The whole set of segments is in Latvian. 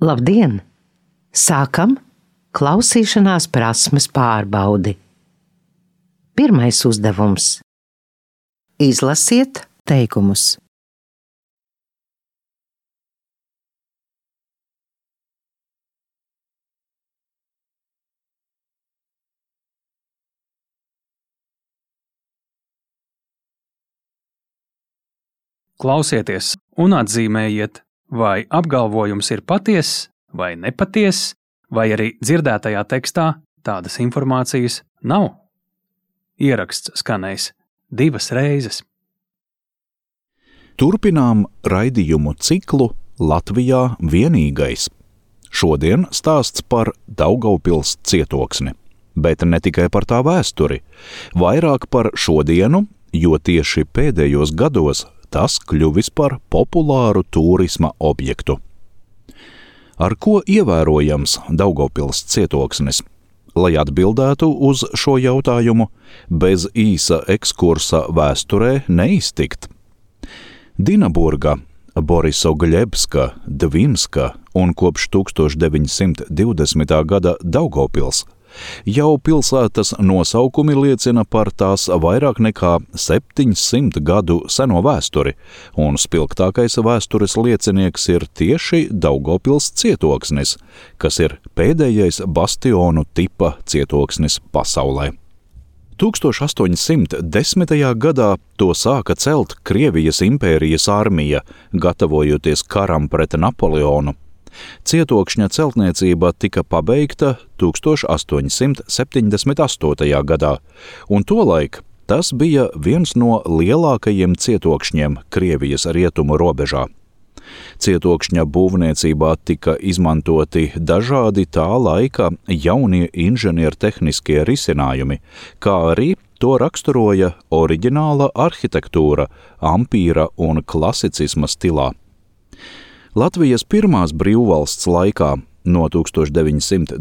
Labdien! Sākam klausīšanās prasmes pārbaudi. Pirmais uzdevums. Izlasiet teikumus. Klausieties un atzīmējiet, vai apgalvojums ir patiess vai nepatiess, vai arī dzirdētajā tekstā tādas informācijas nav. Ieraksts skanēs 2 reizes. Turpinām raidījumu ciklu Latvijā vienīgais. Šodien stāsts par Daugavpils cietoksni, bet ne tikai par tā vēsturi, vairāk par šodienu, jo tieši pēdējos gados tas kļuvis par populāru turisma objektu. Ar ko ievērojams Daugavpils cietoksnis? Lai atbildētu uz šo jautājumu, bez īsa ekskursa vēsturē neiztikt. Dinaburga, Borisogļebska, Dvinska un kopš 1920. gada Daugavpils. Jau pilsētas nosaukumi liecina par tās vairāk nekā 700 gadu seno vēsturi, un spilgtākais vēstures liecinieks ir tieši Daugavpils cietoksnis, kas ir pēdējais bastionu tipa cietoksnis pasaulē. 1810. gadā to sāka celt Krievijas impērijas armija, gatavojoties karam pret Napoleonu. Cietokšņa celtniecība tika pabeigta 1878. gadā, un tolaik tas bija viens no lielākajiem cietokšņiem Krievijas rietumu robežā. Cietokšņa būvniecībā tika izmantoti dažādi tā laika jaunie inženiertehniskie risinājumi, kā arī to raksturoja oriģināla arhitektūra, ampīra un klasicisma stilā. Latvijas pirmās brīvvalsts laikā no 1920.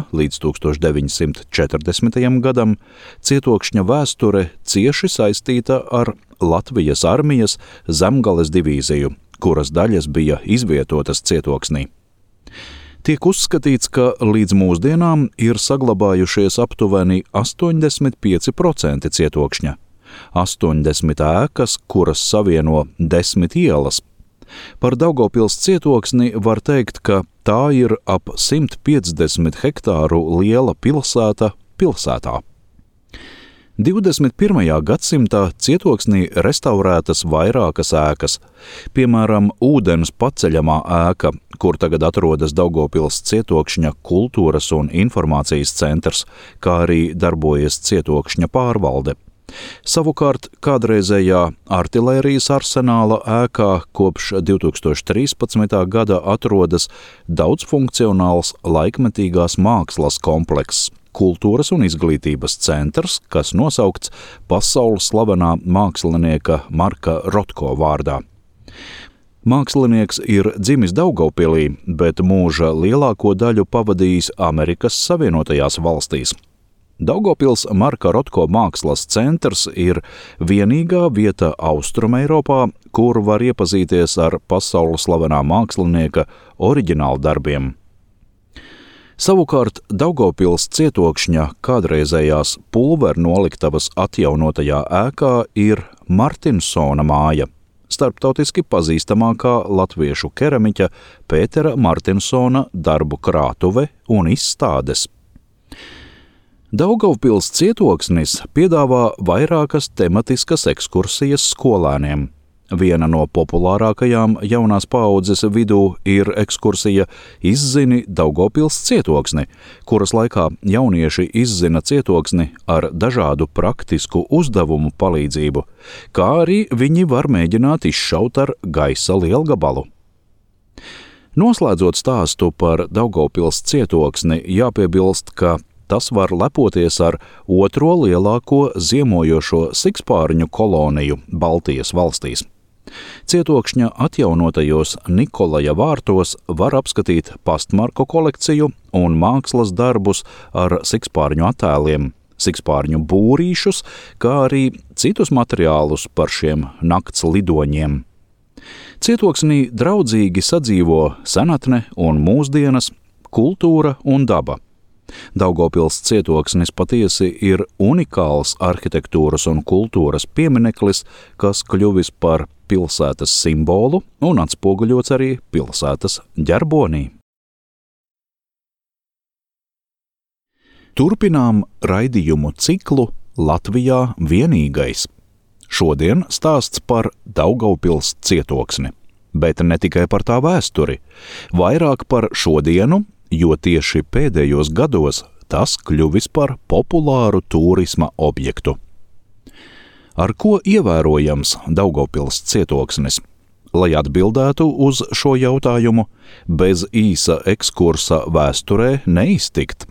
līdz 1940. gadam cietokšņa vēsture cieši saistīta ar Latvijas armijas Zemgales divīziju, kuras daļas bija izvietotas cietoksnī. Tiek uzskatīts, ka līdz mūsdienām ir saglabājušies aptuveni 85% cietokšņa, 80 ēkas, kuras savieno 10 ielas. Par Daugavpils cietoksni var teikt, ka tā ir ap 150 hektāru liela pilsēta pilsētā. 21. gadsimtā cietoksnī restaurētas vairākas ēkas, piemēram, ūdens paceļamā ēka, kur tagad atrodas Daugavpils cietokšņa kultūras un informācijas centrs, kā arī darbojas cietokšņa pārvalde. Savukārt kādreizējā artilērijas arsenāla ēkā kopš 2013. gada atrodas daudzfunkcionāls laikmetīgās mākslas komplekss, kultūras un izglītības centrs, kas nosaukts pasaules slavenā mākslinieka Marka Rotko vārdā. Mākslinieks ir dzimis Daugavpilī, bet mūža lielāko daļu pavadījis Amerikas Savienotajās valstīs. Daugavpils Marka Rotko mākslas centrs ir vienīgā vieta Austrumeiropā, kur var iepazīties ar pasaules slavenā mākslinieka oriģinālu darbiem. Savukārt Daugavpils cietokšņa kādreizējās pulvernoliktavas atjaunotajā ēkā ir Martinsona māja, starptautiski pazīstamākā latviešu keramiķa Pētera Martinsona darbu krātuve un izstādes. Daugavpils cietoksnis piedāvā vairākas tematiskas ekskursijas skolēniem. Viena no populārākajām jaunās paaudzes vidū ir ekskursija Izzini Daugavpils cietoksni, kuras laikā jaunieši izzina cietoksni ar dažādu praktisku uzdevumu palīdzību, kā arī viņi var mēģināt izšaut ar gaisa lielgabalu. Noslēdzot stāstu par Daugavpils cietoksni, jāpiebilst, ka tas var lepoties ar otro lielāko ziemojošo sikspārņu koloniju Baltijas valstīs. Cietokšņa atjaunotajos Nikolaja vārtos var apskatīt pastmarku kolekciju un mākslas darbus ar sikspārņu attēliem, sikspārņu būrīšus, kā arī citus materiālus par šiem nakts lidoņiem. Cietoksnī draudzīgi sadzīvo senatne un mūsdienas, kultūra un daba. Daugavpils cietoksnis patiesi ir unikāls arhitektūras un kultūras piemineklis, kas kļuvis par pilsētas simbolu un atspoguļots arī pilsētas ģerbonī. Turpinām raidījumu ciklu Latvijā vienīgais. Šodien stāsts par Daugavpils cietoksni, bet ne tikai par tā vēsturi, vairāk par šodienu, jo tieši pēdējos gados tas kļuvis par populāru turisma objektu. Ar ko ievērojams Daugavpils cietoksnis? Lai atbildētu uz šo jautājumu, bez īsa ekskursa vēsturē neiztikt.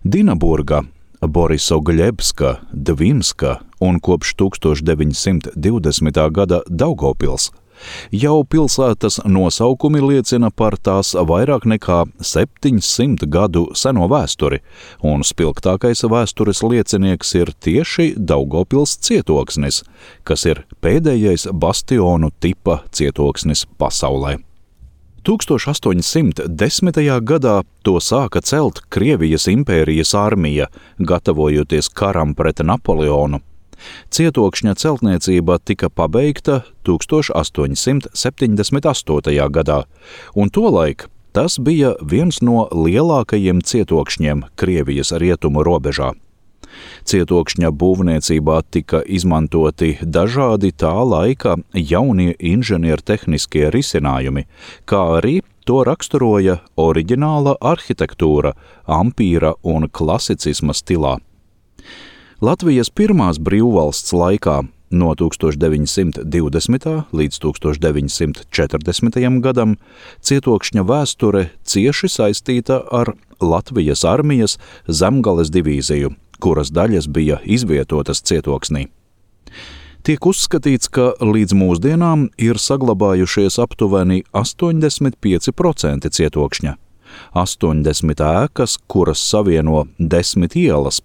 Dinaburga, Borisogļebska, Dvimska un kopš 1920. gada Daugavpils. Jau pilsētas nosaukumi liecina par tās vairāk nekā 700 gadu seno vēsturi, un spilgtākais vēstures liecinieks ir tieši Daugavpils cietoksnis, kas ir pēdējais bastionu tipa cietoksnis pasaulē. 1810. gadā to sāka celt Krievijas impērijas armija, gatavojoties karam pret Napoleonu. Cietokšņa celtniecība tika pabeigta 1878. gadā, un tolaik tas bija viens no lielākajiem cietokšņiem Krievijas rietumu robežā. Cietokšņa būvniecībā tika izmantoti dažādi tā laika jaunie inženiertehniskie risinājumi, kā arī to raksturoja oriģināla arhitektūra ampīra un klasicisma stilā. Latvijas pirmās brīvvalsts laikā no 1920. līdz 1940. gadam cietokšņa vēsture cieši saistīta ar Latvijas armijas Zemgales divīziju, kuras daļas bija izvietotas cietoksnī. Tiek uzskatīts, ka līdz mūsdienām ir saglabājušies aptuveni 85% cietokšņa, 80 ēkas, kuras savieno 10 ielas.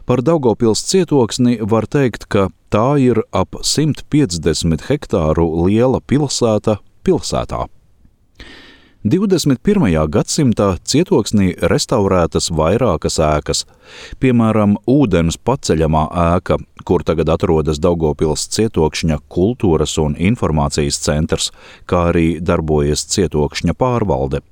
Par Daugavpils cietoksni var teikt, ka tā ir ap 150 hektāru liela pilsēta pilsētā. 21. gadsimtā cietoksnī restaurētas vairākas ēkas, piemēram, ūdens paceļamā ēka, kur tagad atrodas Daugavpils cietokšņa kultūras un informācijas centrs, kā arī darbojas cietokšņa pārvalde.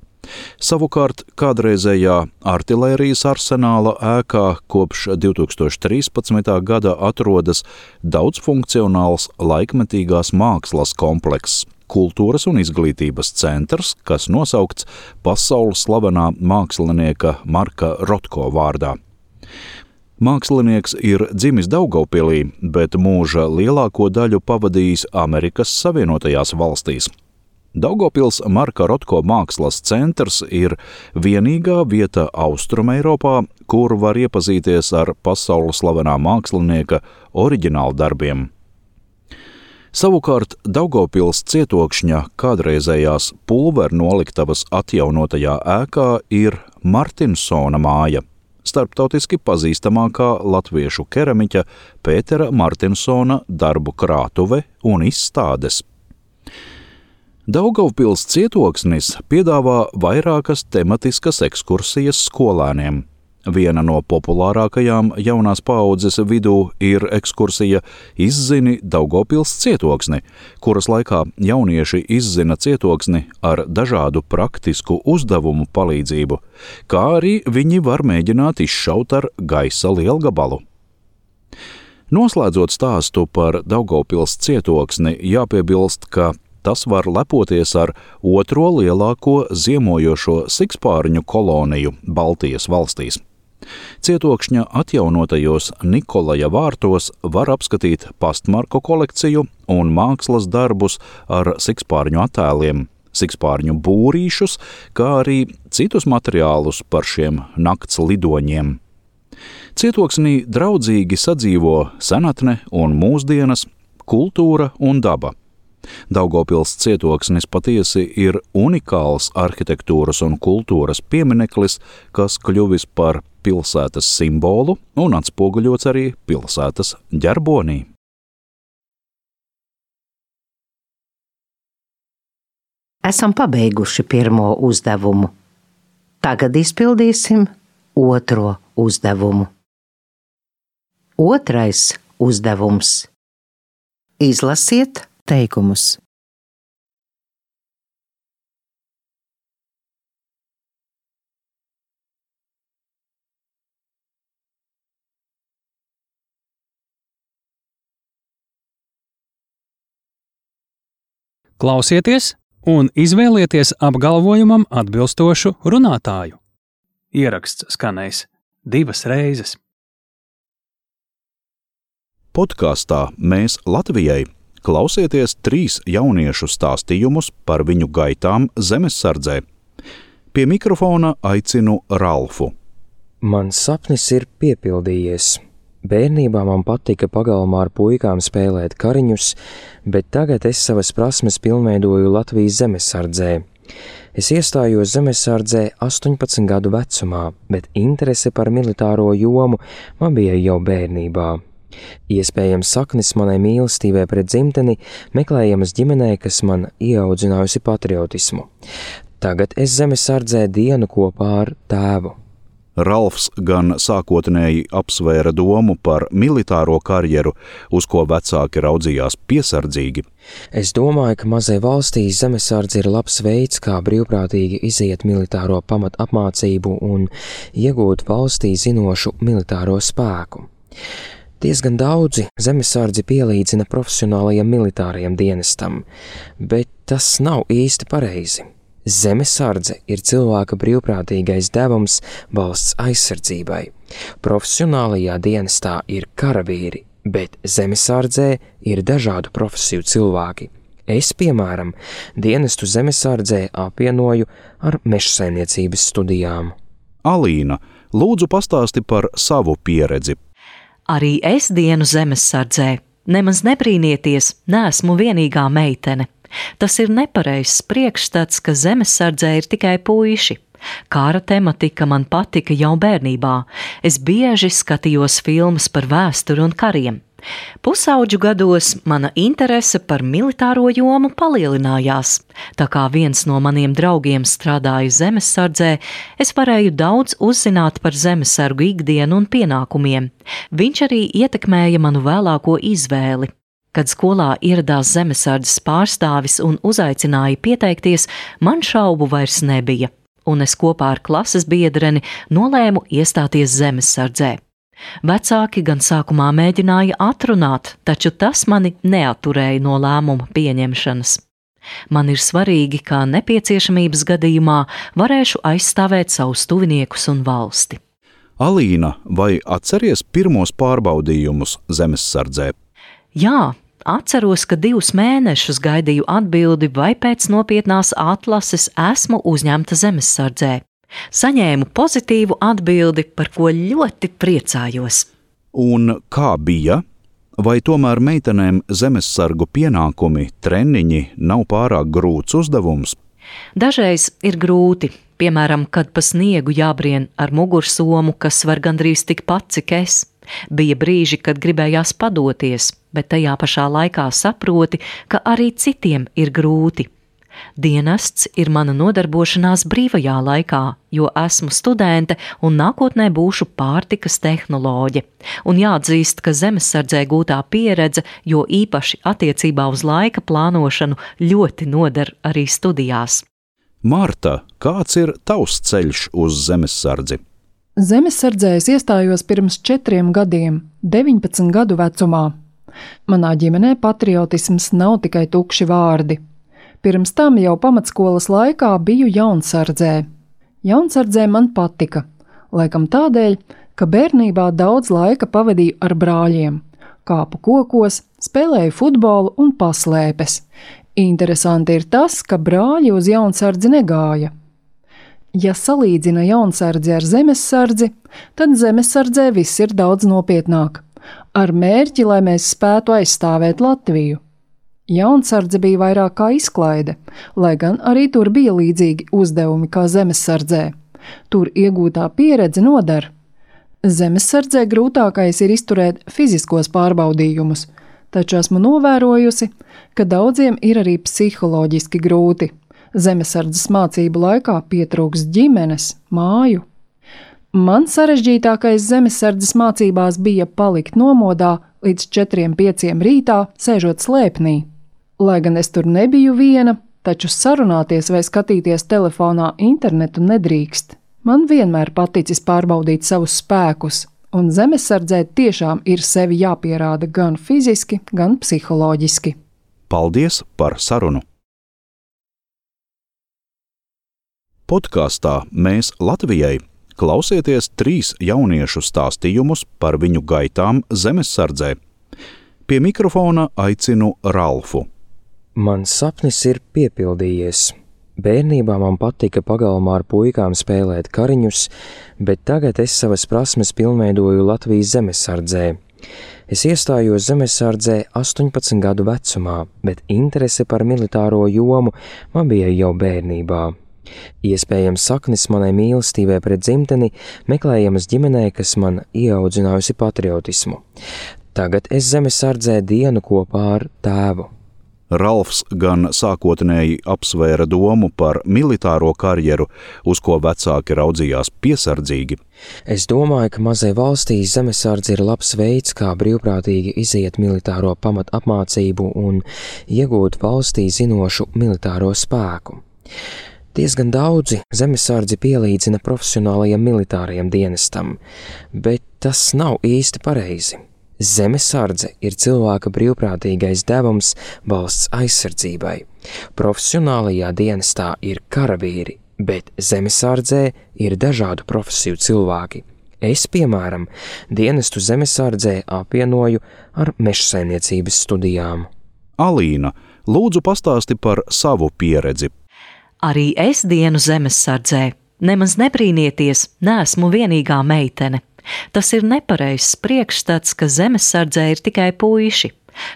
Savukārt kādreizējā artilērijas arsenāla ēkā kopš 2013. gada atrodas daudzfunkcionāls laikmetīgās mākslas komplekss, kultūras un izglītības centrs, kas nosaukts pasaules slavenā mākslinieka Marka Rotko vārdā. Mākslinieks ir dzimis Daugavpilī, bet mūža lielāko daļu pavadījis Amerikas Savienotajās valstīs. Daugavpils Marka Rotko mākslas centrs ir vienīgā vieta Austrumeiropā, kur var iepazīties ar pasaules slavenā mākslinieka oriģinālu darbiem. Savukārt Daugavpils cietokšņa kādreizējās pulvernoliktavas atjaunotajā ēkā ir Martinsona māja, starptautiski pazīstamākā latviešu keramiķa Pētera Martinsona darbu krātuve un izstādes. Daugavpils cietoksnis piedāvā vairākas tematiskas ekskursijas skolēniem. Viena no populārākajām jaunās paaudzes vidū ir ekskursija Izzini Daugavpils cietoksni, kuras laikā jaunieši izzina cietoksni ar dažādu praktisku uzdevumu palīdzību, kā arī viņi var mēģināt izšaut ar gaisa lielgabalu. Noslēdzot stāstu par Daugavpils cietoksni, jāpiebilst, ka tas var lepoties ar otro lielāko ziemojošo sikspārņu koloniju Baltijas valstīs. Cietokšņa atjaunotajos Nikolaja vārtos var apskatīt pastmarku kolekciju un mākslas darbus ar sikspārņu attēliem, sikspārņu būrīšus, kā arī citus materiālus par šiem nakts lidoņiem. Cietoksnī draudzīgi sadzīvo senatne un mūsdienas, kultūra un daba. Daugavpils cietoksnis patiesi ir unikāls arhitektūras un kultūras piemineklis, kas kļuvis par pilsētas simbolu un atspoguļots arī pilsētas ģerbonī. Esam pabeiguši pirmo uzdevumu. Tagad izpildīsim otro uzdevumu. Otrais uzdevums. Izlasiet teikumus. Klausieties un izvēlieties apgalvojumam atbilstošu runātāju. Ieraksts skanēs 2 reizes. Podkastā Mēs Latvijai klausieties 3 jauniešu stāstījumus par viņu gaitām zemessardzē. Pie mikrofona aicinu Ralfu. Mans sapnis ir piepildījies. Bērnībā man patika pagalmā ar puikām spēlēt kariņus, bet tagad es savas prasmes pilnveidoju Latvijas zemesardzē. Es iestājos zemesardzē 18 gadu vecumā, bet interese par militāro jomu man bija jau bērnībā. Iespējams, saknes manai mīlestībai pret dzimteni meklējamas ģimenē, kas man ieaudzinājusi patriotismu. Tagad es zemesardzē dienu kopā ar tēvu. Ralfs gan sākotnēji apsvēra domu par militāro karjeru, uz ko vecāki raudzījās piesardzīgi. Es domāju, ka mazai valstī zemesardze ir labs veids, kā brīvprātīgi iziet militāro pamatapmācību un iegūt valstī zinošu militāro spēku. Diezgan daudzi zemesardzi pielīdzina profesionālajiem militārajiem dienestam, bet tas nav īsti pareizi. Zemesardze ir cilvēka brīvprātīgais devums valsts aizsardzībai. Profesionālajā dienestā ir karavīri, bet zemesardzē ir dažādu profesiju cilvēki. Es, piemēram, dienestu zemesardzē apvienoju ar mežsaimniecības studijām. Alīna, lūdzu pastāsti par savu pieredzi. Arī es dienu zemesardzē. Nemaz nebrīnieties, neesmu vienīgā meitene. Tas ir nepareizs priekšstats, ka zemesardzē ir tikai puiši. Kara tematika man patika jau bērnībā. Es bieži skatījos filmas par vēsturi un kariem. Pusauģu gados mana interese par militāro jomu palielinājās. Tā kā viens no maniem draugiem strādāja zemesardzē, es varēju daudz uzzināt par zemesargu ikdienu un pienākumiem. Viņš arī ietekmēja manu vēlāko izvēli. Kad skolā ieradās zemesardzes pārstāvis un uzaicināja pieteikties, man šaubu vairs nebija, un es kopā ar klases biedreni nolēmu iestāties zemesardzē. Vecāki gan sākumā mēģināja atrunāt, taču tas mani neatturēja no lēmuma pieņemšanas. Man ir svarīgi, ka nepieciešamības gadījumā varēšu aizstāvēt savus tuviniekus un valsti. Alīna, vai atceries pirmos pārbaudījumus zemessardzē? Jā, atceros, ka 2 mēnešus gaidīju atbildi, vai pēc nopietnās atlases esmu uzņemta zemessardzē. Saņēmu pozitīvu atbildi, par ko ļoti priecājos. Un kā bija? Vai tomēr meitenēm zemessargu pienākumi, treniņi nav pārāk grūts uzdevums? Dažreiz ir grūti, piemēram, kad pa sniegu jābrien ar mugursomu, kas var gandrīz tikpat, cik es. Bija brīži, kad gribējās padoties, bet tajā pašā laikā saproti, ka arī citiem ir grūti. Dienests ir mana nodarbošanās brīvajā laikā, jo esmu studente un nākotnē būšu pārtikas tehnoloģe. Un jāatzīst, ka zemesardzē gūtā pieredze, jo īpaši attiecībā uz laika plānošanu, ļoti noder arī studijās. Marta, kāds ir tavs ceļš uz zemessardzi? Zemessardzē es iestājos pirms 4 gadiem, 19 gadu vecumā. Manā ģimenē patriotisms nav tikai tukši vārdi. Pirms tam jau pamatskolas laikā biju jaunsardzē. Jaunsardzē man patika, laikam tādēļ, ka bērnībā daudz laika pavadīju ar brāļiem, kāpu kokos, spēlēju futbolu un paslēpes. Interesanti ir tas, ka brāļi uz jaunsardzi negāja. Ja salīdzina jaunsardzi ar zemessardzi, tad zemessardzē viss ir daudz nopietnāk, ar mērķi, lai mēs spētu aizstāvēt Latviju. Jaunsardze bija vairāk kā izklaide, lai gan arī tur bija līdzīgi uzdevumi kā zemessardzē. Tur iegūtā pieredze noder. Zemessardzē grūtākais ir izturēt fiziskos pārbaudījumus, taču esmu novērojusi, ka daudziem ir arī psiholoģiski grūti. Zemesardzes mācību laikā pietrūkst ģimenes, māju. Man sarežģītākais zemesardzes mācībās bija palikt nomodā līdz 4-5 rītā, sēžot slēpnī. Lai gan es tur nebiju viena, taču sarunāties vai skatīties telefonā internetu nedrīkst. Man vienmēr paticis pārbaudīt savus spēkus, un zemesardzē tiešām ir sevi jāpierāda gan fiziski, gan psiholoģiski. Paldies par sarunu! Podkāstā Mēs Latvijai klausieties 3 jauniešu stāstījumus par viņu gaitām zemesardzē. Pie mikrofona aicinu Ralfu. Mans sapnis ir piepildījies. Bērnībā man patika pagalmā ar puikām spēlēt kariņus, bet tagad es savas prasmes pilnveidoju Latvijas zemesardzē. Es iestājos zemesardzē 18 gadu vecumā, bet interese par militāro jomu man bija jau bērnībā. Iespējams, saknes manai mīlestībai pret dzimteni meklējamas ģimenē, kas man ieaudzinājusi patriotismu. Tagad es zemesardzē dienu kopā ar tēvu. Ralfs gan sākotnēji apsvēra domu par militāro karjeru, uz ko vecāki raudzījās piesardzīgi. Es domāju, ka mazai valstī zemesardze ir labs veids, kā brīvprātīgi iziet militāro pamatapmācību un iegūt valstī zinošu militāro spēku. Diezgan daudzi zemesardzi pielīdzina profesionālajiem militārajiem dienestam, bet tas nav īsti pareizi. Zemesardze ir cilvēka brīvprātīgais devums valsts aizsardzībai. Profesionālajā dienestā ir karavīri, bet zemesardzē ir dažādu profesiju cilvēki. Es, piemēram, dienestu zemesardzē apvienoju ar mežsaimniecības studijām. Alīna, lūdzu pastāsti par savu pieredzi. Arī es dienu zemesardzē. Nemaz nebrīnieties, neesmu vienīgā meitene. Tas ir nepareizs priekšstats, ka zemesardzē ir tikai puiši.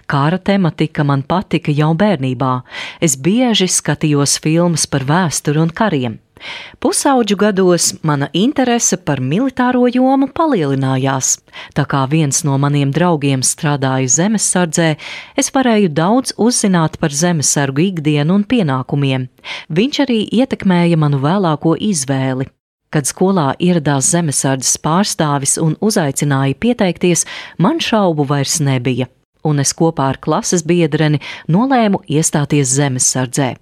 Kara tematika man patika jau bērnībā. Es bieži skatījos filmas par vēsturi un kariem. Pusauģu gados mana interese par militāro jomu palielinājās. Tā kā viens no maniem draugiem strādāja zemesardzē, es varēju daudz uzzināt par zemesargu ikdienu un pienākumiem. Viņš arī ietekmēja manu vēlāko izvēli. Kad skolā ieradās zemesardzes pārstāvis un uzaicināja pieteikties, man šaubu vairs nebija, un es kopā ar klases biedreni nolēmu iestāties zemesardzē.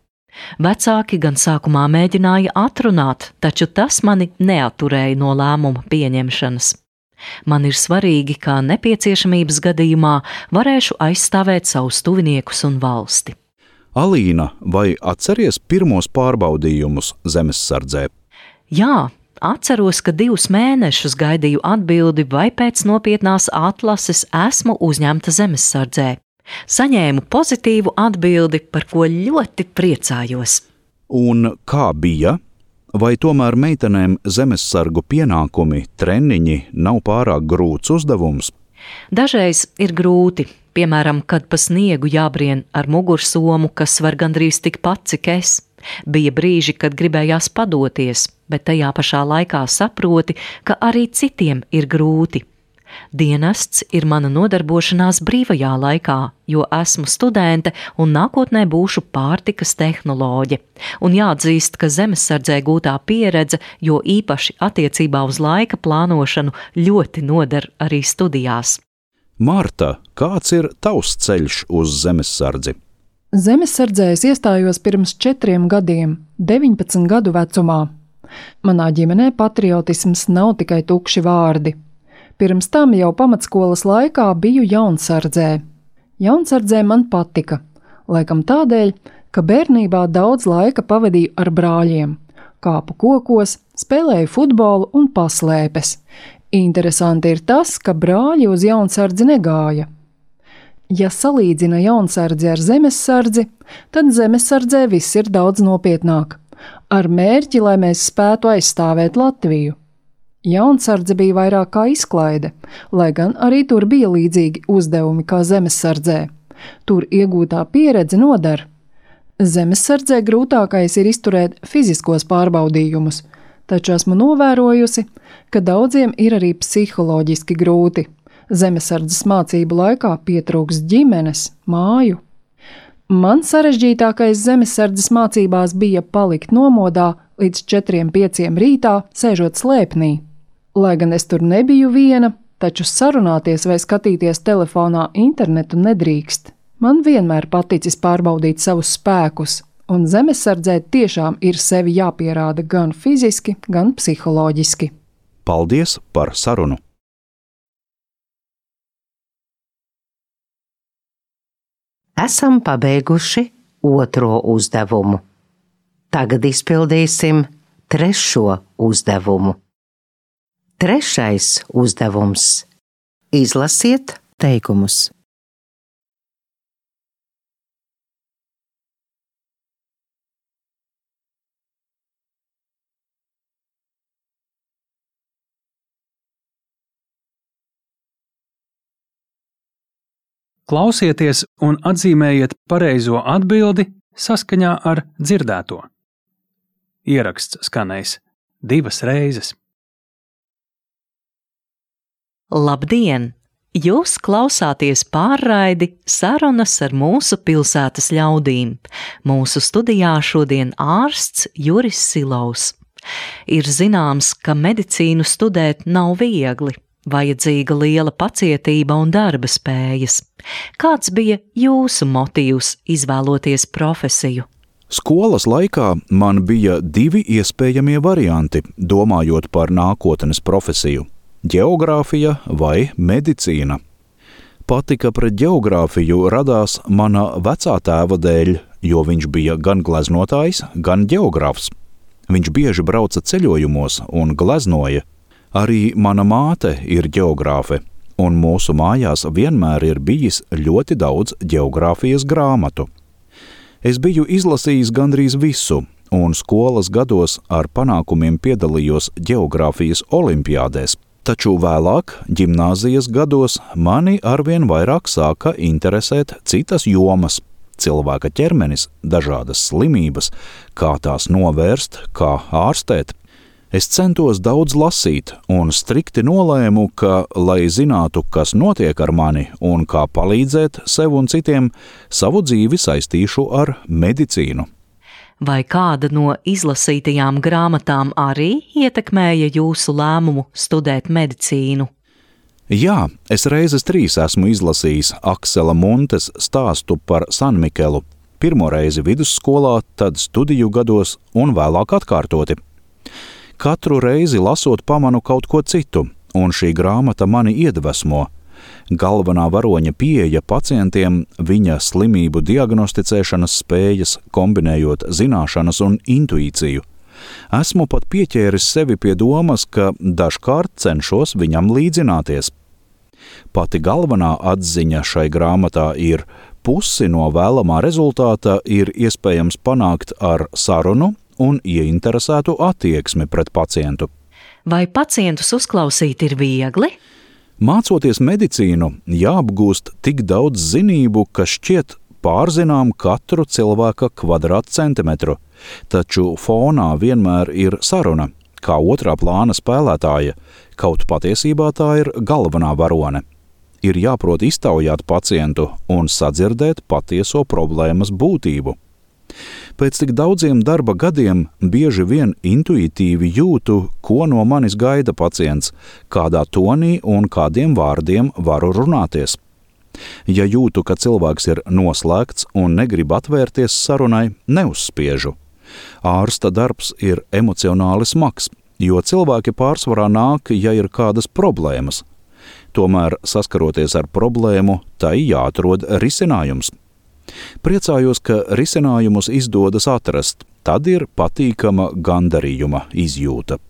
Vecāki gan sākumā mēģināja atrunāt, taču tas mani neatturēja no lēmuma pieņemšanas. Man ir svarīgi, ka nepieciešamības gadījumā varēšu aizstāvēt savus tuviniekus un valsti. Alīna, vai atceries pirmos pārbaudījumus zemesardzē? Jā. Atceros, ka 2 mēnešus gaidīju atbildi, vai pēc nopietnās atlases esmu uzņemta zemesardzē. Saņēmu pozitīvu atbildi, par ko ļoti priecājos. Un kā bija? Vai tomēr meitenēm zemesargu pienākumi, treniņi nav pārāk grūts uzdevums? Dažreiz ir grūti, piemēram, kad pa sniegu jābrien ar mugursomu, kas var gandrīz tikpat, cik es. Bija brīži, kad gribējās padoties, bet tajā pašā laikā saproti, ka arī citiem ir grūti. Dienests ir mana nodarbošanās brīvajā laikā, jo esmu studente un nākotnē būšu pārtikas tehnoloģe. Un jāatzīst, ka zemesardzē gūtā pieredze, jo īpaši attiecībā uz laika plānošanu, ļoti noder arī studijās. Marta, kāds ir tavs ceļš uz zemesardzi? Zemesardzē es iestājos pirms 4 gadiem, 19 gadu vecumā. Manā ģimenē patriotisms nav tikai tukši vārdi. Pirms tam jau pamatskolas laikā biju jaunsardzē. Jaunsardzē man patika, laikam tādēļ, ka bērnībā daudz laika pavadīju ar brāļiem, kāpu kokos, spēlēju futbolu un paslēpes. Interesanti ir tas, ka brāļi uz jaunsardzi negāja. Ja salīdzina jaunsardzi ar zemesardzi, tad zemesardzē viss ir daudz nopietnāk, ar mērķi, lai mēs spētu aizstāvēt Latviju. Jaunsardze bija vairāk kā izklaide, lai gan arī tur bija līdzīgi uzdevumi kā zemesardzē. Tur iegūtā pieredze nodar. Zemesardzē grūtākais ir izturēt fiziskos pārbaudījumus, taču esmu novērojusi, ka daudziem ir arī psiholoģiski grūti. Zemesardzes mācību laikā pietrūks ģimenes, māju. Man sarežģītākais zemesardzes mācībās bija palikt nomodā līdz 4-5 rītā, sēžot slēpnī. Lai gan es tur nebiju viena, taču sarunāties vai skatīties telefonā internetu nedrīkst. Man vienmēr paticis pārbaudīt savus spēkus, un zemesardzē tiešām ir sevi jāpierāda gan fiziski, gan psiholoģiski. Paldies par sarunu! Esam pabeiguši 2. uzdevumu. Tagad izpildīsim 3. uzdevumu. 3. uzdevums. Izlasiet teikumus. Klausieties un atzīmējiet pareizo atbildi saskaņā ar dzirdēto. Ieraksts skanējis 2 reizes. Labdien! Jūs klausāties pārraidi Sarunas ar mūsu pilsētas ļaudīm. Mūsu studijā šodien ārsts Juris Silovs. Ir zināms, ka medicīnu studēt nav viegli. Vajadzīga liela pacietība un darba spējas. Kāds bija jūsu motīvs izvēloties profesiju? Skolas laikā man bija 2 iespējamie varianti, domājot par nākotnes profesiju – ģeogrāfija vai medicīna. Patika pret ģeogrāfiju radās mana vecā tēva dēļ, jo viņš bija gan gleznotājs, gan ģeogrāfs. Viņš bieži brauca ceļojumos un gleznoja. Arī mana māte ir ģeogrāfe, un mūsu mājās vienmēr ir bijis ļoti daudz ģeogrāfijas grāmatu. Es biju izlasījis gandrīz visu, un skolas gados ar panākumiem piedalījos ģeogrāfijas olimpiādēs, taču vēlāk, ģimnāzijas gados, mani arvien vairāk sāka interesēt citas jomas – cilvēka ķermenis, dažādas slimības, kā tās novērst, kā ārstēt. Es centos daudz lasīt un strikti nolēmu, ka, lai zinātu, kas notiek ar mani un kā palīdzēt sev un citiem, savu dzīvi saistīšu ar medicīnu. Vai kāda no izlasītajām grāmatām arī ietekmēja jūsu lēmumu studēt medicīnu? Jā, es reizes 3 esmu izlasījis Aksela Muntes stāstu par Sanmikelu. Pirmo reizi vidusskolā, tad studiju gados un vēlāk atkārtoti. Katru reizi lasot pamanu kaut ko citu, un šī grāmata mani iedvesmo. Galvenā varoņa pieeja pacientiem, viņa slimību diagnosticēšanas spējas, kombinējot zināšanas un intuīciju. Esmu pat pieķēris sevi pie domas, ka dažkārt cenšos viņam līdzināties. Pati galvenā atziņa šai grāmatā ir: pusi no vēlamā rezultāta ir iespējams panākt ar sarunu un ieinteresētu attieksmi pret pacientu. Vai pacientus uzklausīt ir viegli? Mācoties medicīnu, jāapgūst tik daudz zinību, ka šķiet pārzinām katru cilvēka kvadrātcentimetru, taču fonā vienmēr ir saruna, kā otrā plāna spēlētāja, kaut patiesībā tā ir galvenā varone. Ir jāprot iztaujāt pacientu un sadzirdēt patieso problēmas būtību. Pēc tik daudziem darba gadiem bieži vien intuitīvi jūtu, ko no manis gaida pacients, kādā tonī un kādiem vārdiem varu runāties. Ja jūtu, ka cilvēks ir noslēgts un negrib atvērties sarunai, neuzspiežu. Ārsta darbs ir emocionāli smags, jo cilvēki pārsvarā nāk, ja ir kādas problēmas. Tomēr, saskaroties ar problēmu, tai jāatrod risinājums. Priecājos, ka risinājumus izdodas atrast, tad ir patīkama gandarījuma izjūta.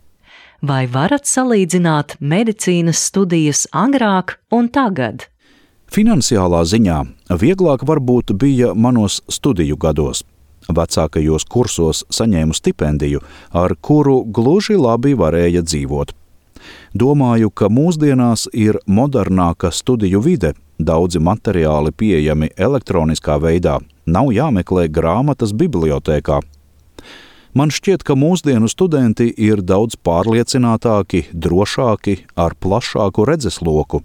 Vai varat salīdzināt medicīnas studijas agrāk un tagad? Finansiālā ziņā vieglāk varbūt bija manos studiju gados. Vecākajos kursos saņēmu stipendiju, ar kuru gluži labi varēja dzīvot. Domāju, ka mūsdienās ir modernāka studiju vide, daudzi materiāli pieejami elektroniskā veidā, nav jāmeklē grāmatas bibliotēkā. Man šķiet, ka mūsdienu studenti ir daudz pārliecinātāki, drošāki, ar plašāku redzesloku.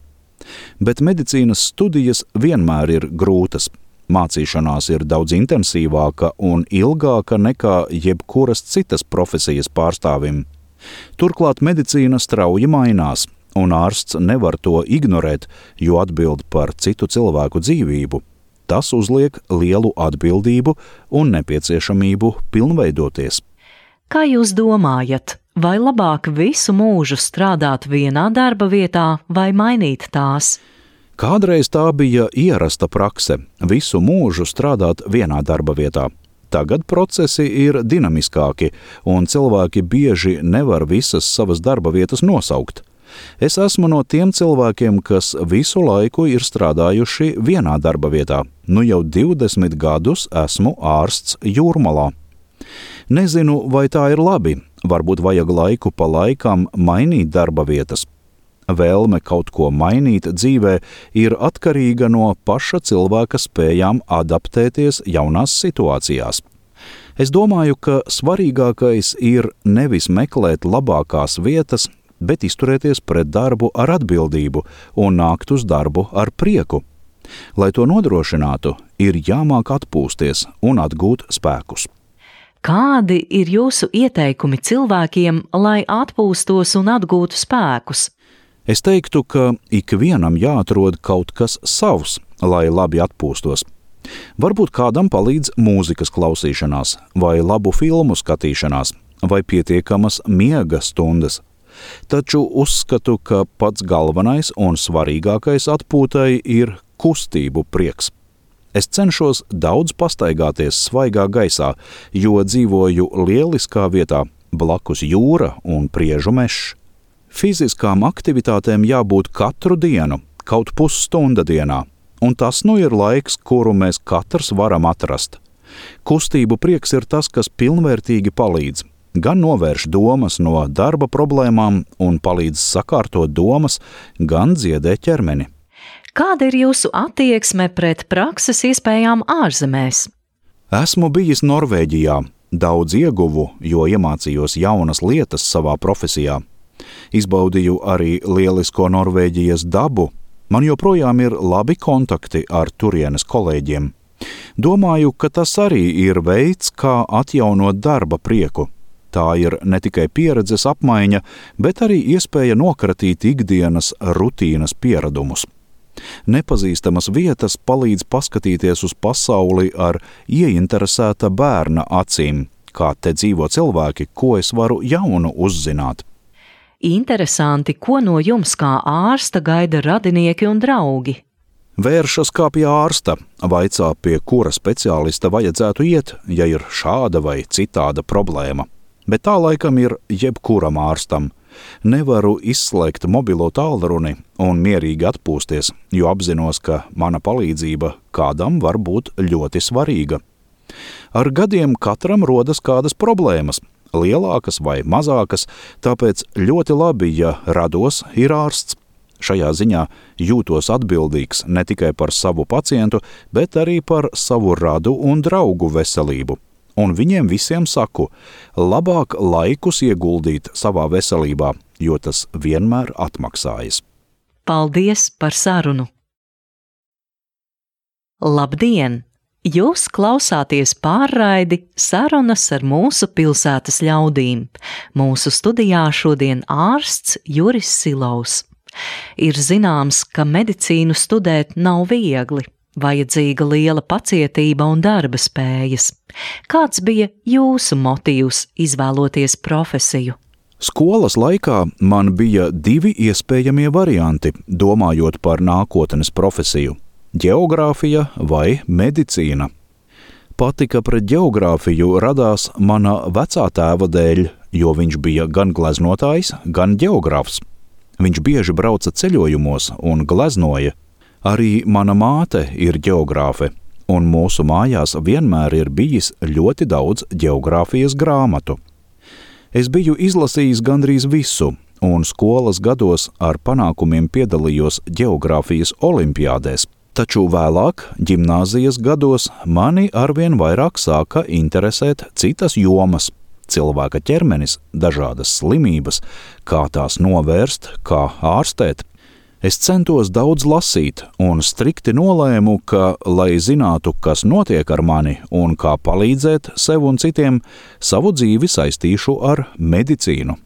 Bet medicīnas studijas vienmēr ir grūtas. Mācīšanās ir daudz intensīvāka un ilgāka nekā jebkuras citas profesijas pārstāvim. Turklāt medicīna strauji mainās, un ārsts nevar to ignorēt, jo atbild par citu cilvēku dzīvību. Tas uzliek lielu atbildību un nepieciešamību pilnveidoties. Kā jūs domājat, vai labāk visu mūžu strādāt vienā darba vietā vai mainīt tās? Kādreiz tā bija ierasta prakse – visu mūžu strādāt vienā darba vietā. Tagad procesi ir dinamiskāki, un cilvēki bieži nevar visas savas darba vietas nosaukt. Es esmu no tiem cilvēkiem, kas visu laiku ir strādājuši vienā darba vietā. Nu jau 20 gadus esmu ārsts Jūrmalā. Nezinu, vai tā ir labi, varbūt vajag laiku pa laikam mainīt darba vietas. Vēlme kaut ko mainīt dzīvē ir atkarīga no paša cilvēka spējām adaptēties jaunās situācijās. Es domāju, ka svarīgākais ir nevis meklēt labākās vietas, bet izturēties pret darbu ar atbildību un nākt uz darbu ar prieku. Lai to nodrošinātu, ir jāmāk atpūsties un atgūt spēkus. Kādi ir jūsu ieteikumi cilvēkiem, lai atpūstos un atgūtu spēkus? Es teiktu, ka ikvienam jāatrod kaut kas savs, lai labi atpūstos. Varbūt kādam palīdz mūzikas klausīšanās, vai labu filmu skatīšanās, vai pietiekamas miega stundas. Taču uzskatu, ka pats galvenais un svarīgākais atpūtai ir kustību prieks. Es cenšos daudz pastaigāties svaigā gaisā, jo dzīvoju lieliskā vietā, blakus jūra un priežu mežs. Fiziskām aktivitātēm jābūt katru dienu, kaut pusstunda dienā, un tas nu ir laiks, kuru mēs katrs varam atrast. Kustību prieks ir tas, kas pilnvērtīgi palīdz, gan novērš domas no darba problēmām un palīdz sakārtot domas, gan dziedē ķermeni. Kāda ir jūsu attieksme pret prakses iespējām ārzemēs? Esmu bijis Norvēģijā, daudz ieguvu, jo iemācījos jaunas lietas savā profesijā. Izbaudīju arī lielisko Norvēģijas dabu, man joprojām ir labi kontakti ar turienes kolēģiem. Domāju, ka tas arī ir veids, kā atjaunot darba prieku. Tā ir ne tikai pieredzes apmaiņa, bet arī iespēja nokratīt ikdienas rutīnas pieradumus. Nepazīstamas vietas palīdz paskatīties uz pasauli ar ieinteresēta bērna acīm, kā te dzīvo cilvēki, ko es varu jaunu uzzināt. Interesanti, ko no jums kā ārsta gaida radinieki un draugi? Vēršas kā pie ārsta, vaicā, pie kura speciālista vajadzētu iet, ja ir šāda vai citāda problēma. Bet tā laikam ir jebkuram ārstam. Nevaru izslēgt mobilo tālruni un mierīgi atpūsties, jo apzinos, ka mana palīdzība kādam var būt ļoti svarīga. Ar gadiem katram rodas kādas problēmas, lielākas vai mazākas, tāpēc ļoti labi, ja rados ir ārsts. Šajā ziņā jūtos atbildīgs ne tikai par savu pacientu, bet arī par savu radu un draugu veselību. Un viņiem visiem saku, labāk laikus ieguldīt savā veselībā, jo tas vienmēr atmaksājas. Paldies par sarunu! Labdien! Jūs klausāties pārraidi Sarunas ar mūsu pilsētas ļaudīm. Mūsu studijā šodien ārsts Juris Silovs. Ir zināms, ka medicīnu studēt nav viegli. Vajadzīga liela pacietība un darba spējas. Kāds bija jūsu motīvs izvēloties profesiju? Skolas laikā man bija 2 iespējamie varianti, domājot par nākotnes profesiju – ģeogrāfija vai medicīna. Patika pret ģeogrāfiju radās mana vecā tēva dēļ, jo viņš bija gan gleznotājs, gan ģeogrāfs. Viņš bieži brauca ceļojumos un gleznoja. Arī mana māte ir ģeogrāfe, un mūsu mājās vienmēr ir bijis ļoti daudz ģeogrāfijas grāmatu. Es biju izlasījis gandrīz visu, un skolas gados ar panākumiem piedalījos ģeogrāfijas olimpiādēs, taču vēlāk, ģimnāzijas gados, mani arvien vairāk sāka interesēt citas jomas – cilvēka ķermenis, dažādas slimības, kā tās novērst, kā ārstēt. Es centos daudz lasīt un strikti nolēmu, ka, lai zinātu, kas notiek ar mani un kā palīdzēt sev un citiem, savu dzīvi saistīšu ar medicīnu.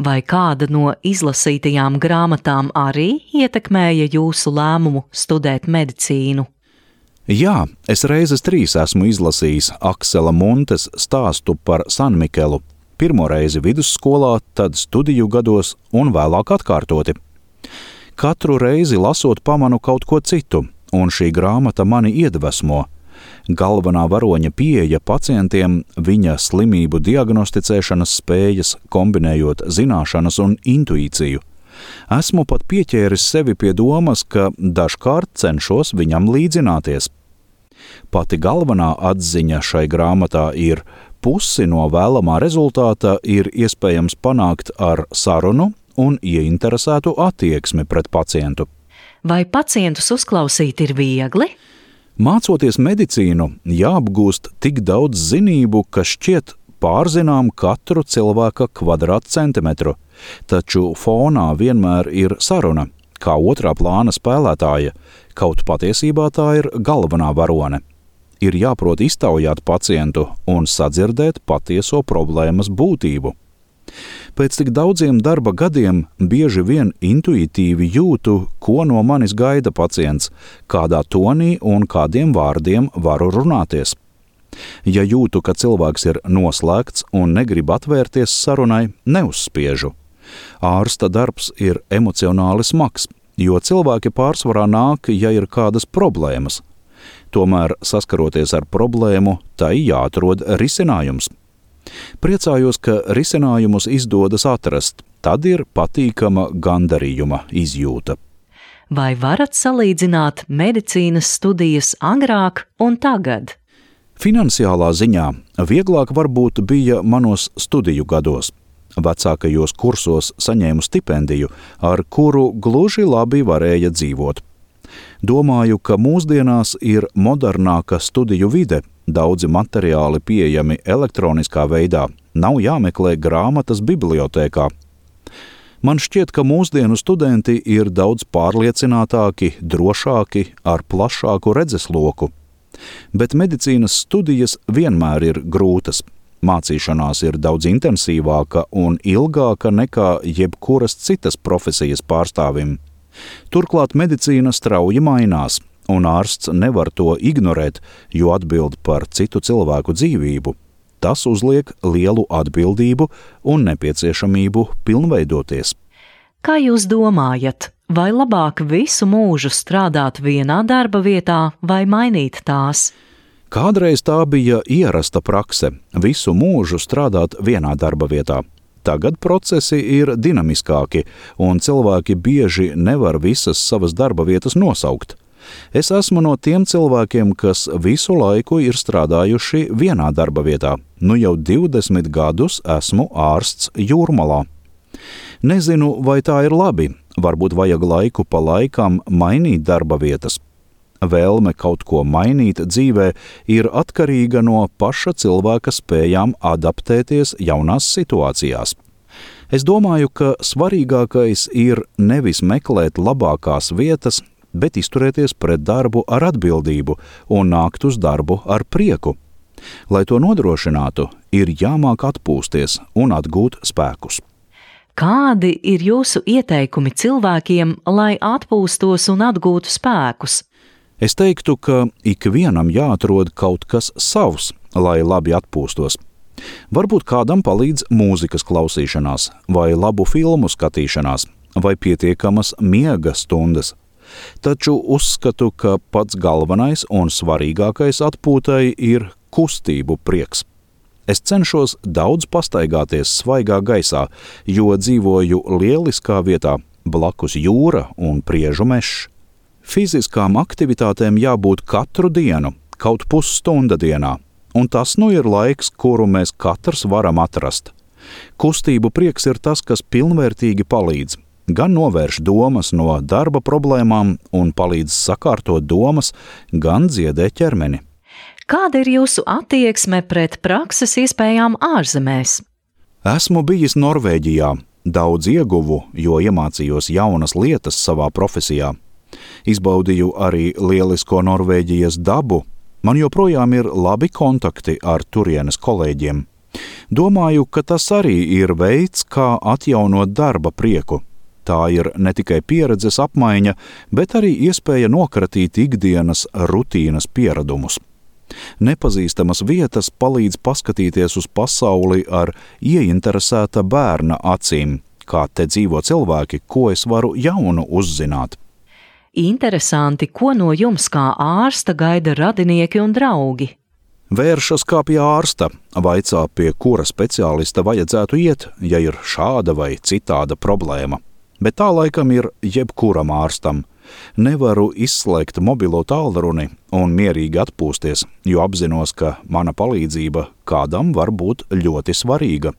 Vai kāda no izlasītajām grāmatām arī ietekmēja jūsu lēmumu studēt medicīnu? Jā, es reizes 3 esmu izlasījis Aksela Muntes stāstu par Sanmikelu. Pirmo reizi vidusskolā, tad studiju gados un vēlāk atkārtoti. Katru reizi lasot pamanu kaut ko citu, un šī grāmata mani iedvesmo. Galvenā varoņa pieeja pacientiem, viņa slimību diagnosticēšanas spējas, kombinējot zināšanas un intuīciju. Esmu pat pieķēris sevi pie domas, ka dažkārt cenšos viņam līdzināties. Pati galvenā atziņa šai grāmatā ir: pusi no vēlamā rezultāta ir iespējams panākt ar sarunu un ieinteresētu attieksmi pret pacientu. Vai pacientus uzklausīt ir viegli? Mācoties medicīnu, jāapgūst tik daudz zinību, ka šķiet pārzinām katru cilvēka kvadrātcentimetru, taču fonā vienmēr ir saruna, kā otrā plāna spēlētāja, kaut patiesībā tā ir galvenā varone. Ir jāprot iztaujāt pacientu un sadzirdēt patieso problēmas būtību. Pēc tik daudziem darba gadiem bieži vien intuitīvi jūtu, ko no manis gaida pacients, kādā tonī un kādiem vārdiem varu runāties. Ja jūtu, ka cilvēks ir noslēgts un negrib atvērties sarunai, neuzspiežu. Ārsta darbs ir emocionāli smags, jo cilvēki pārsvarā nāk, ja ir kādas problēmas. Tomēr, saskaroties ar problēmu, tai jāatrod risinājums. Priecājos, ka risinājumus izdodas atrast, tad ir patīkama gandarījuma izjūta. Vai varat salīdzināt medicīnas studijas agrāk un tagad? Finansiālā ziņā vieglāk varbūt bija manos studiju gados. Vecākajos kursos saņēmu stipendiju, ar kuru gluži labi varēja dzīvot. Domāju, ka mūsdienās ir modernāka studiju vide, daudzi materiāli pieejami elektroniskā veidā, nav jāmeklē grāmatas bibliotēkā. Man šķiet, ka mūsdienu studenti ir daudz pārliecinātāki, drošāki, ar plašāku redzesloku. Bet medicīnas studijas vienmēr ir grūtas. Mācīšanās ir daudz intensīvāka un ilgāka nekā jebkuras citas profesijas pārstāvim. Turklāt medicīna strauji mainās, un ārsts nevar to ignorēt, jo atbild par citu cilvēku dzīvību. Tas uzliek lielu atbildību un nepieciešamību pilnveidoties. Kā jūs domājat, vai labāk visu mūžu strādāt vienā darba vietā vai mainīt tās? Kādreiz tā bija ierasta prakse – visu mūžu strādāt vienā darba vietā. Tagad procesi ir dinamiskāki, un cilvēki bieži nevar visas savas darba vietas nosaukt. Es esmu no tiem cilvēkiem, kas visu laiku ir strādājuši vienā darba vietā. Nu jau 20 gadus esmu ārsts Jūrmalā. Nezinu, vai tā ir labi, varbūt vajag laiku pa laikam mainīt darba vietas. Vēlme kaut ko mainīt dzīvē ir atkarīga no paša cilvēka spējām adaptēties jaunās situācijās. Es domāju, ka svarīgākais ir nevis meklēt labākās vietas, bet izturēties pret darbu ar atbildību un nākt uz darbu ar prieku. Lai to nodrošinātu, ir jāmāk atpūsties un atgūt spēkus. Kādi ir jūsu ieteikumi cilvēkiem, lai atpūstos un atgūtu spēkus? Es teiktu, ka ikvienam jāatrod kaut kas savs, lai labi atpūstos. Varbūt kādam palīdz mūzikas klausīšanās, vai labu filmu skatīšanās, vai pietiekamas miega stundas. Taču uzskatu, ka pats galvenais un svarīgākais atpūtai ir kustību prieks. Es cenšos daudz pastaigāties svaigā gaisā, jo dzīvoju lieliskā vietā, blakus jūra un priežu mežs. Fiziskām aktivitātēm jābūt katru dienu, kaut pusstunda dienā, un tas nu ir laiks, kuru mēs katrs varam atrast. Kustību prieks ir tas, kas pilnvērtīgi palīdz, gan novērš domas no darba problēmām un palīdz sakārtot domas, gan dziedē ķermeni. Kāda ir jūsu attieksme pret prakses iespējām ārzemēs? Esmu bijis Norvēģijā. Daudz ieguvu, jo iemācījos jaunas lietas savā profesijā. Izbaudīju arī lielisko Norvēģijas dabu. Man joprojām ir labi kontakti ar turienes kolēģiem. Domāju, ka tas arī ir veids, kā atjaunot darba prieku. Tā ir ne tikai pieredzes apmaiņa, bet arī iespēja nokratīt ikdienas rutīnas pieradumus. Nepazīstamas vietas palīdz paskatīties uz pasauli ar ieinteresēta bērna acīm, kā te dzīvo cilvēki, ko es varu jaunu uzzināt. Interesanti, ko no jums kā ārsta gaida radinieki un draugi? Vēršas kā pie ārsta, vaicā, pie kura speciālista vajadzētu iet, ja ir šāda vai citāda problēma. Bet tā laikam ir jebkuram ārstam. Nevaru izslēgt mobilo tālruni un mierīgi atpūsties, jo apzinos, ka mana palīdzība kādam var būt ļoti svarīga.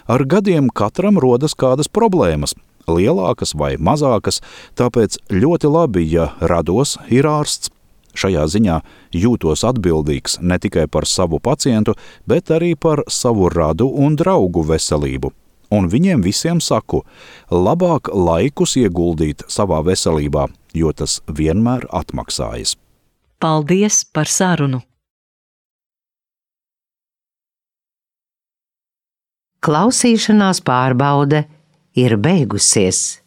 Ar gadiem katram rodas kādas problēmas, lielākas vai mazākas, tāpēc ļoti labi, ja rados ir ārsts. Šajā ziņā jūtos atbildīgs ne tikai par savu pacientu, bet arī par savu radu un draugu veselību. Un viņiem visiem saku, labāk laikus ieguldīt savā veselībā, jo tas vienmēr atmaksājas. Paldies par sarunu! Klausīšanās pārbaude ir beigusies.